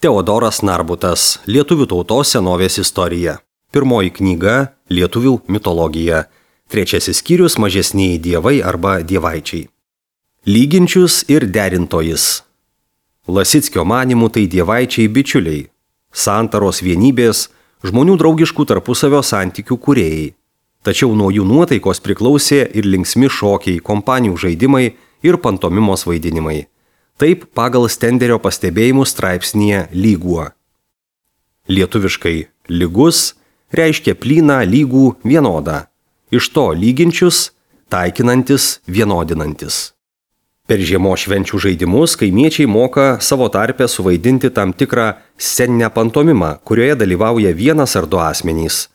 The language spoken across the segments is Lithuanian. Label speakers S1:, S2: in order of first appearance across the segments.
S1: Teodoras Narbutas, Lietuvių tautos senovės istorija. Pirmoji knyga – Lietuvių mitologija. Trečiasis skyrius – mažesnieji dievai arba dievaičiai. Lyginčius ir derintojis. Lasickio manymų tai dievaičiai bičiuliai, santaros vienybės, žmonių draugiškų tarpusavio santykių kūrėjai. Tačiau nuo jų nuotaikos priklausė ir linksmi šokiai, kompanijų žaidimai ir pantomimos vaidinimai. Taip pagal Stenderio pastebėjimų straipsnyje lyguo. Lietuviškai lygus reiškia plyną, lygų, vienodą. Iš to lyginčius, taikinantis, vienodinantis. Per žiemos švenčių žaidimus kaimiečiai moka savo tarpe suvaidinti tam tikrą sceninę pantomimą, kurioje dalyvauja vienas ar du asmenys.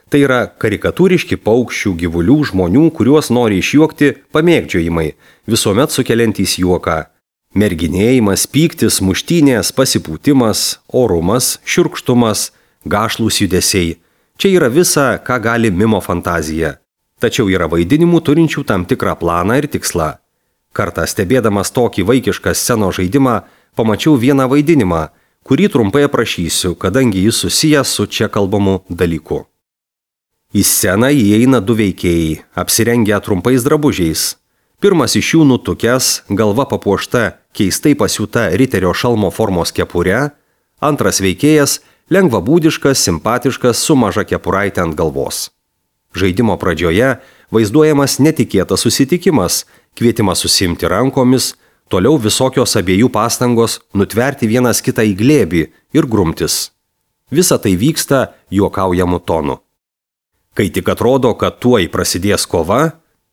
S1: Tai yra karikatūriški paukščių, gyvulių, žmonių, kuriuos nori išjuokti pamėgdžiojimai, visuomet sukeliantys juoką. Merginėjimas, pyktis, muštynės, pasipūtimas, orumas, šiurkštumas, gašlūs judesiai. Čia yra visa, ką gali mimo fantazija. Tačiau yra vaidinimų turinčių tam tikrą planą ir tikslą. Kartą stebėdamas tokį vaikišką scenos žaidimą, pamačiau vieną vaidinimą, kurį trumpai aprašysiu, kadangi jis susijęs su čia kalbamu dalyku. Į sceną įeina du veikėjai, apsirengę trumpais drabužiais. Pirmas iš jų nutukęs, galva papuošta keistai pasiūta riterio šalmo formos kepure, antras veikėjas lengvabūdiškas, simpatiškas su maža kepuraitė ant galvos. Žaidimo pradžioje vaizduojamas netikėtas susitikimas, kvietimas susiimti rankomis, toliau visokios abiejų pastangos nutverti vienas kitą į glėbį ir grumtis. Visa tai vyksta juokaujamu tonu. Kai tik atrodo, kad tuoj prasidės kova,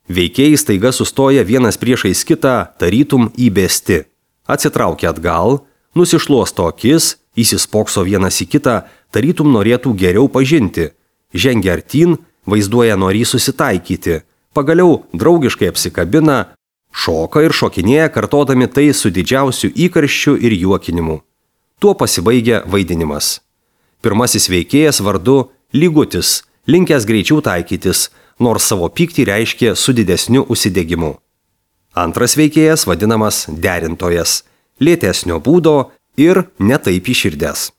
S1: veikėjai staiga sustoja vienas priešais kitą, tarytum įbesti. Atsitraukia atgal, nusišluosto akis, įsispokso vienas į kitą, tarytum norėtų geriau pažinti. Žengia artyn, vaizduoja norį susitaikyti. Pagaliau draugiškai apsikabina, šoka ir šokinėja, kartodami tai su didžiausiu įkarščiu ir juokinimu. Tuo pasibaigia vaidinimas. Pirmasis veikėjas vardu Lygutis, linkęs greičiau taikytis, nors savo pyktį reiškė su didesniu užsidegimu. Antras veikėjas vadinamas derintojas, lėtesnio būdo ir netaip įširdęs.